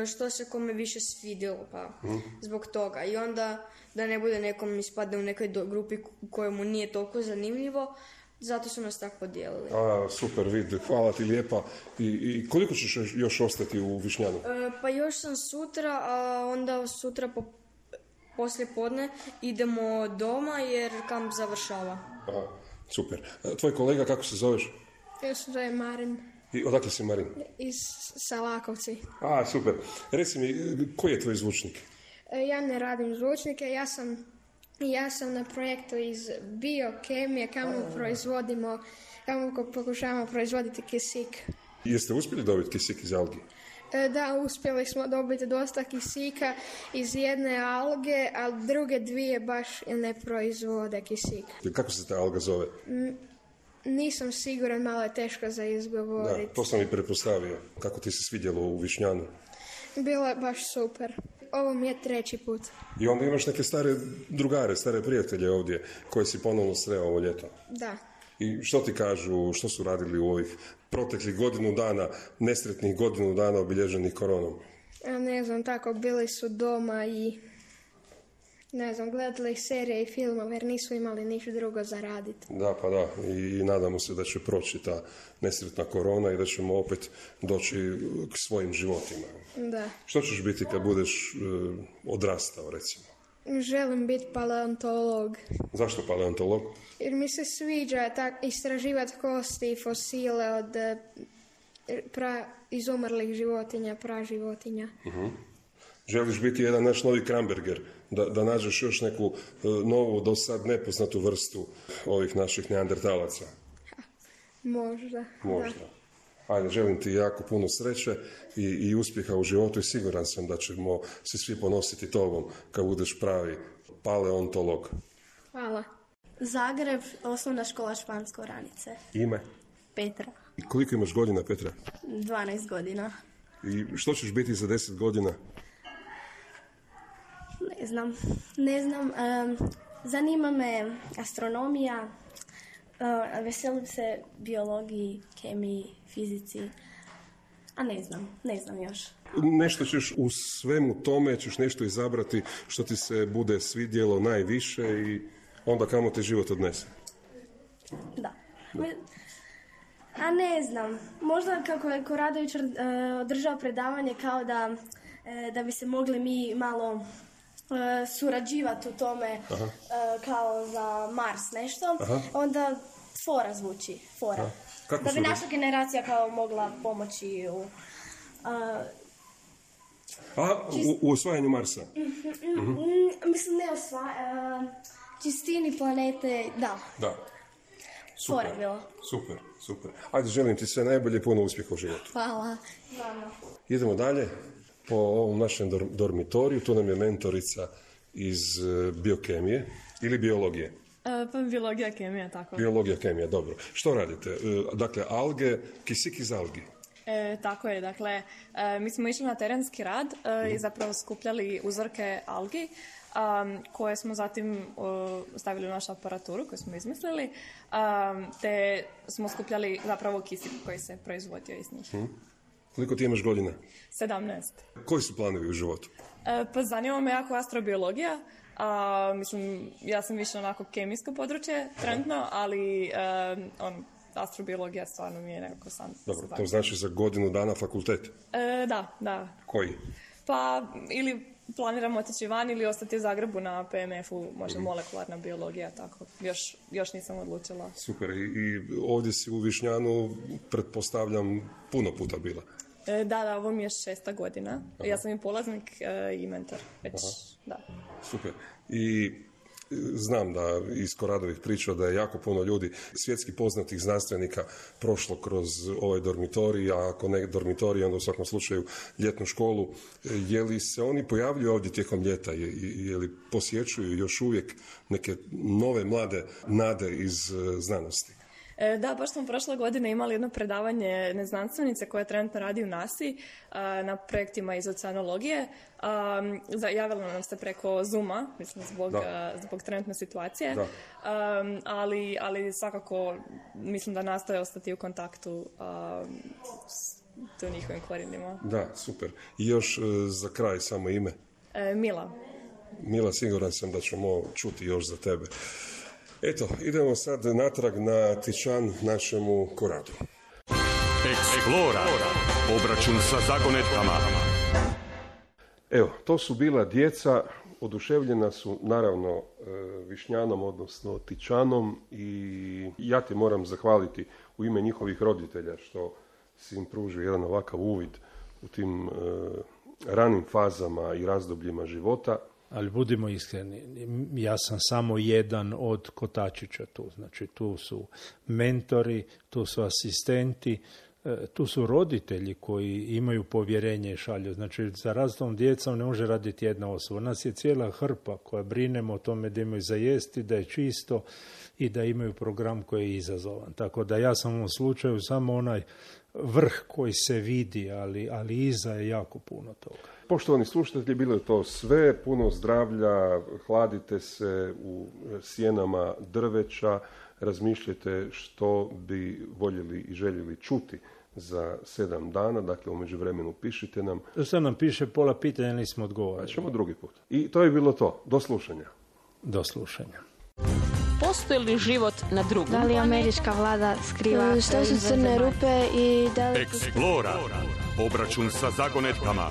što se kome više svidjelo, pa hmm. zbog toga. I onda da ne bude nekom ispadne u nekoj do, grupi kojemu nije toliko zanimljivo, zato su nas tako podijelili. A, super, vid, hvala ti lijepa. I, i koliko ćeš još ostati u Višnjanu? E, pa još sam sutra, a onda sutra po, poslije podne idemo doma jer kamp završava. Aha, super. Tvoj kolega, kako se zoveš? Ja se zove Marin. I odakle si, Marin? Iz Salakovci. A, super. Reci mi, koji je tvoj zvučnik? Ja ne radim zvučnike, ja sam, ja sam na projektu iz biokemije, kamo proizvodimo, kamo pokušavamo proizvoditi kisik. Jeste uspjeli dobiti kisik iz algi? Da, uspjeli smo dobiti dosta kisika iz jedne alge, a druge dvije baš ne proizvode kisik. Kako se ta alga zove? N- nisam siguran, malo je teško za izgovoriti. Da, to sam i pretpostavio. Kako ti se svidjelo u Višnjanu? Bilo je baš super. Ovo mi je treći put. I onda imaš neke stare drugare, stare prijatelje ovdje koje si ponovno sreo ovo ljeto. Da. I što ti kažu, što su radili u ovih proteklih godinu dana, nesretnih godinu dana obilježenih koronom? Ja ne znam, tako, bili su doma i ne znam, gledali serije i filmove jer nisu imali ništa drugo za raditi. Da, pa da. I, i nadamo se da će proći ta nesretna korona i da ćemo opet doći k svojim životima. Da. Što ćeš biti kad budeš uh, odrastao, recimo? Želim biti paleontolog. Zašto paleontolog? Jer mi se sviđa tak, istraživati kosti i fosile od pra, izumrlih životinja, praživotinja. Uh-huh. Želiš biti jedan naš novi Kramberger, da, da nađeš još neku uh, novu, do sad nepoznatu vrstu ovih naših neandertalaca? Možda. Možda. Da. Ajde, želim ti jako puno sreće i, i uspjeha u životu i siguran sam da ćemo se svi ponositi tobom kad budeš pravi paleontolog. Hvala. Zagreb, osnovna škola Špansko Oranice. Ime? Petra. I koliko imaš godina, Petra? dvanaest godina. I što ćeš biti za deset godina? Ne znam. Ne znam. Um, zanima me astronomija. Uh, veselim se biologiji, kemiji, fizici. A ne znam. Ne znam još. Nešto ćeš u svemu tome, ćeš nešto izabrati što ti se bude svidjelo najviše i onda kamo te život odnese. Da. da. A ne znam. Možda kako je Koradović uh, održao predavanje kao da, uh, da bi se mogli mi malo uh, surađivati u tome uh, kao za Mars nešto. Aha. Onda fora zvuči. Fora. Da bi naša generacija kao mogla pomoći u... Uh, A, u, u osvajanju Marsa? Mm-hmm. Mislim, ne osvajanju. Uh, čistini planete, da. Da. Super, fora bilo. Super, super. Ajde, želim ti sve najbolje i puno uspjeha u životu. Hvala. Hvala. Idemo dalje po ovom našem dor- dormitoriju. Tu nam je mentorica iz uh, biokemije ili biologije. Uh, pa biologija, kemija, tako. Biologija, kemija, dobro. Što radite? Uh, dakle, alge, kisik iz algi. E, tako je, dakle, e, mi smo išli na terenski rad e, i zapravo skupljali uzorke algi um, koje smo zatim uh, stavili u našu aparaturu koju smo izmislili, um, te smo skupljali zapravo kisik koji se proizvodio iz njih. Hmm. Koliko ti imaš godina? sedamnaest. Koji su planovi u životu? E, pa zanima me jako astrobiologija. A, mislim, ja sam više onako kemijsko područje trenutno, ali um, on, astrobiologija stvarno mi je nekako sam. Dobro, to znači za godinu dana fakultet? E, da, da. Koji? Pa ili planiramo otići van ili ostati u Zagrebu na P M F-u, možda molekularna biologija, tako. Još, još nisam odlučila. Super, i, i ovdje si u Višnjanu, pretpostavljam, puno puta bila. E, da, da, ovo mi je šesta godina. Aha. Ja sam i polaznik e, i mentor. Već, da. Super. I znam da iz Koradovih priča da je jako puno ljudi, svjetski poznatih znanstvenika, prošlo kroz ovaj dormitorij, a ako ne dormitorij, onda u svakom slučaju ljetnu školu. Je li se oni pojavljuju ovdje tijekom ljeta? Je, je li posjećuju još uvijek neke nove mlade nade iz znanosti? Da, baš smo prošle godine imali jedno predavanje neznanstvenice koja trenutno radi u nasi na projektima iz oceanologije. Javila nam se preko Zooma, mislim, zbog, zbog trenutne situacije, ali, ali svakako mislim da nastoje ostati u kontaktu s njihovim korijenima. Da, super. I još za kraj samo ime? Mila. Mila, siguran sam da ćemo čuti još za tebe. Eto, idemo sad natrag na Tičan našemu Koradu. Explora, obračun sa zagonetkama. Evo, to su bila djeca, oduševljena su naravno Višnjanom, odnosno Tičanom, i ja ti moram zahvaliti u ime njihovih roditelja što si im pružio jedan ovakav uvid u tim ranim fazama i razdobljima života. Ali budimo iskreni, ja sam samo jedan od kotačića tu. Znači tu su mentori, tu su asistenti, tu su roditelji koji imaju povjerenje i šalju. Znači za različitom djecom ne može raditi jedna osoba. Nas je cijela hrpa koja brinemo o tome da imaju za jesti, da je čisto i da imaju program koji je izazovan. Tako da ja sam u ovom slučaju samo onaj vrh koji se vidi, ali, ali iza je jako puno toga. Poštovani slušatelji, bilo je to sve, puno zdravlja, hladite se u sjenama drveća, razmišljajte što bi voljeli i željeli čuti za sedam dana, dakle u međuvremenu pišite nam. Što nam piše, pola pitanja nismo odgovorili. Ćemo drugi put. I to je bilo to. Do slušanja. Do slušanja. Postoji li život na drugom? Da li američka vlada skriva? Što su crne rupe i da li... Explora. Obračun sa zagonetkama.